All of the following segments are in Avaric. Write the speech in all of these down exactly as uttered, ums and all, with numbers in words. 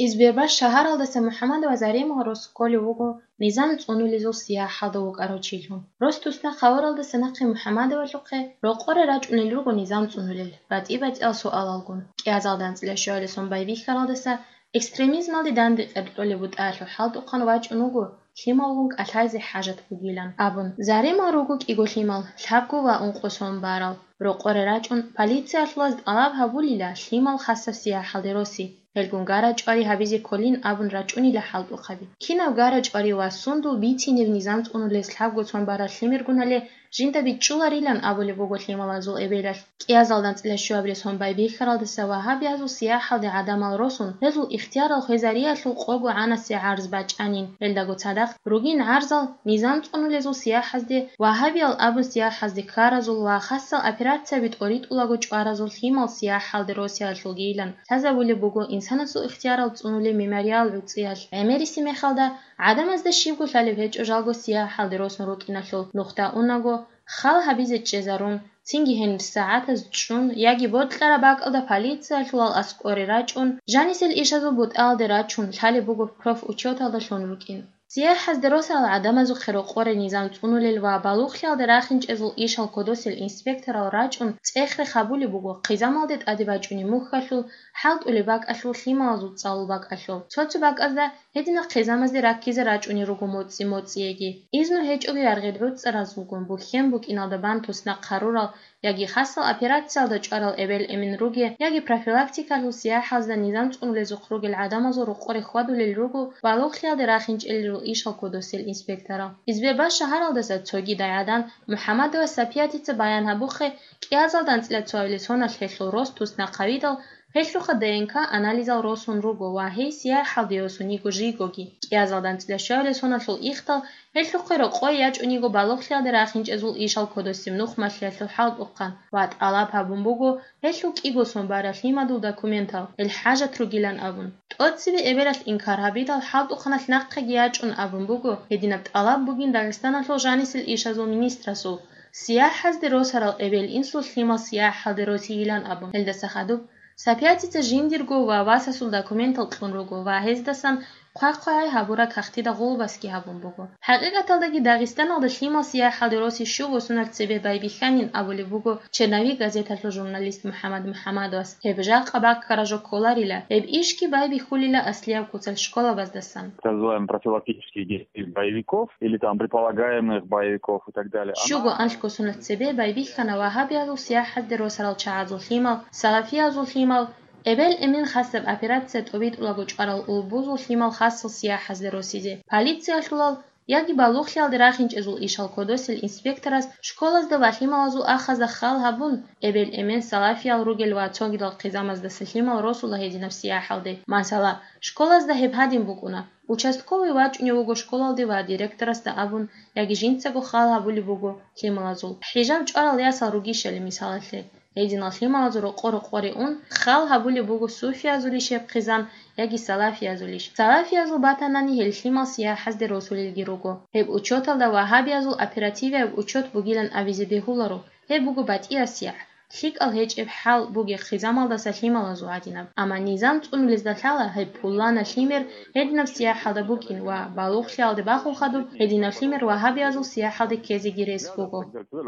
Избербаш шагьаралдаса МухӀаммадова Заремал рос кколев вуго низам цӀунулезул сияхӀалда вукӀарав чилъун. Рос тусна хъаваралдаса нахъе МухӀаммадовалъухъе рокъоре рачӀунел руго низам цӀунулел, батӀи-батӀиял суалалгун. КӀиазалда анцӀила щуабилеб сон байбихьаралдаса экстремизмалде данде къеркьолеб бутӀаялъул хӀалтӀухъан вачӀун вуго, лъималгун кӀалъайзе хӀажат бугилан абун. Заремал руго кӀиго лъимал, лъабго ва ункъо сон барал. Рокъоре рачӀун, полициялъулаз тӀалаб гьабулила лъимал хасаб сияхӀалде роси, гьелгун гара-чӀвари гьабизе кколин абун рачӀунила хӀалтӀухъаби. Кинаб гара-чӀвари ва сундул бицинеб низам цӀунулес лъабго сон барал лъимергун гьале жинда бичӀчӀуларилан абулеб буго лъималазул эбелалъ. КӀиазалда анцӀила щуабилеб сон байбихьаралдаса вагьабиязул сияхӀалде гӀадамал росун, гьезул ихтиярал хвезариялъул къого гӀанасе гӀарз бачӀанин. Гьелдаго цадахъ ругин гӀарзал низам цӀунулезул сияхӀазде, вагьабиял абун сияхӀазде ккаразул ва хасал операцияби тӀоритӀулаго чӀваразул лъимал сияхӀалде росиялъулгийилан лъазабулеб буго инсанасул ихтиярал цӀунулеб мемориал гӀуцӀиялъ. ГӀемериси мехалда, гӀадамазда щибго лъалеб гьечӀо жалго сияхӀалде росун рукӀиналъул нухда унаго, хал гьабизе чӀезарун, цинги гьенир сагӀатаз чӀун яги бокьараб бакӀалда полициялъулал аскӀоре рачӀун, жанисел ишазул бутӀаялде рачун лъалеб буго профучёталда лъун рукӀин. СияхӀазде росарал гӀадамазухъе рокъоре низам цӀунулел ва балугълъиялде рахинчӀезул ишал кодосел инспекторал рачӀун цӀех-рех гьабулеб буго хъизамалде тӀаде бачӀунеб мухьалъул, хӀалтӀулеб бакӀалъул, лъималазул цӀалул бакӀалъул. Цо-цо бакӀазда гьединал хъизамазде раккизе рачӀунел руго моцӀи-моцӀиеги. Изну гьечӀого яргъи гӀуцӀаразулгун бухьен букӀиналда бан туснахъ гьарурал яги хасал операциялда чӀварал эбел-эмен ругел яги профилактикалъул сияхӀазда низам цӀунулезухъ ругел гӀадамазул рокъоре хьвадулел руго балугълъиялде рахинчӀелел ишал кодосел инспекторал. Избербаш шагьаралдаса цогидай гӀадан МухӀаммадова Сапиятица баян гьабухъе, кӀиазалда анцӀила цоабилеб соналъ гьелъул рос туснахъ гьавидал, гьелъухъа ДНК анализал росун руго ва гьей сияхӀалде йосун йиго жийгоги. КӀиазалда анцӀила щуабилеб соналъул ихдал гьелъухъе рокъое ячӀун йиго балугълъиялде рахинчӀезул ишал кодосеб нух малъиялъул хӀалтӀухъан ва тӀалаб гьабун буго гьелъул кӀиго сон барал лъимадул документал, гьел хӀажат ругилан абун. ТӀоцебе эбелалъ инкар гьабидал, хӀалтӀухъаналъ нахъеги ячӀун абун буго, гьединаб тӀалаб бугин Дагъистаналъул жанисел ишазул министрасул, сияхӀазде росарал эбел-инсул лъимал сияхӀалде росийилан абун. Гьелдаса хадуб, Сапиятица жиндирго ва васасул документал кьун руго ва гьездасан хъвай-хъвай гьабураб кагътида гъулбасги гьабун буго. ХӀакъикъаталдаги Дагъистаналда лъимал сияхӀалде роси щуго соналъ цебе байбихьанин абулеб буго «Черновик» газеталъул журналист МухӀаммад МухӀаммадовас. Гьеб жакъа баккараб жо кколарила, гьеб ишги байбихьулила аслияб куцалъ школабаздасан. Так называемых профилактических действий боевиков или там предполагаемых боевиков и так далее. Щуго-анлъго соналъ цебе байбихьана вагьабиязул сияхӀазде росарал чагӀазул лъимал, салафиязул лъимал, эбел-эмен хасаб операция тӀобитӀулаго чӀварал улбузул лъимал хасал сияхӀазде росизе. Полициялъулал яги балугълъиялде рахинчӀезул ишал кодосел инспекторас школазда ва лъималазул ахазда хал гьабун, эбел-эмен салафиял ругел ва цогидал хъизамаздаса лъимал росула гьединаб сияхӀалде. Масала, школазда гьеб гьадин букӀуна: участковый вачӀунев вуго школалде ва директорасда абун яги жинцаго хал гьабулеб буго лъималазул. ХӀижаб чӀварал ясал ругищали мисалалъе, гьединал лъималазул рокъо-рокъоре ун, хал гьабулеб буго суфиязулищ гьеб хъизан яги салафиязулищ. Салафиязул батанани гьел лъимал сияхӀазде росулелги руго. Гьеб учёталда вагьабиязул оперативияб учёт бугилан абизе бегьуларо, гьеб буго батӀиясеб сияхӀ. ЛъикӀал гьечӀеб хӀал бугеб хъизамалдаса лъималазул гьадинаб. Амма низам цӀунулезда лъала гьеб пуланаб лъимер гьединаб сияхӀалда букӀин ва балугълъиялде бахун хадуб гьединаб лъимер вагьабиязул сияхӀалде ккезеги рес буго.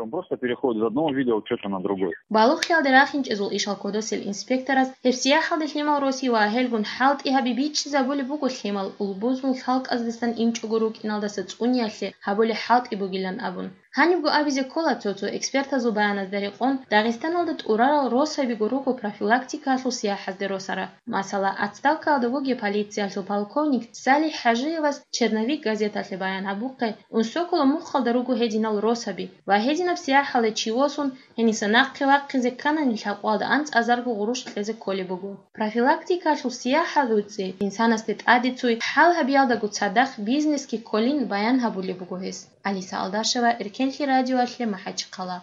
Он просто переходит из одного вида учёта на другой. Балугълъиялде рахинчӀезул ишал кодосел инспекторас гьеб сияхӀалде лъимал роси ва гьелгун хӀалтӀи гьаби бичӀчӀизабулеб буго лъимал улбузул халкъаздасан инчӀого рукӀиналдаса цӀуниялъе гьабулеб хӀалтӀи бугилан абун. Гьанибго абизе ккола цо-цо экспертазул баяназда рекъон, Дагъистаналда тӀурарал росабиго руго профилактикалъул сияхӀазде росарал. Масала, отставкаялда вугев полициялъул полковник Салих ХӀажиевас «Черновик» газеталъе баян гьабухъе, ун сокола мухъалда руго гьединал росаби ва гьединаб сияхӀалде чи восун, гьениса нахъе вахъизе кканани лъабкъоялда анцӀазарго гъурущ кьезе кколеб буго. Профилактикалъул сияхӀал гӀуцӀи, инсанасде тӀадеццуй хӀал гьабиялдаго цадахъ бизнесги кколин баян гьабулеб буго гьес. Алиса Алдашева, Эркенлъи радиоялъе, МахӀачхъала.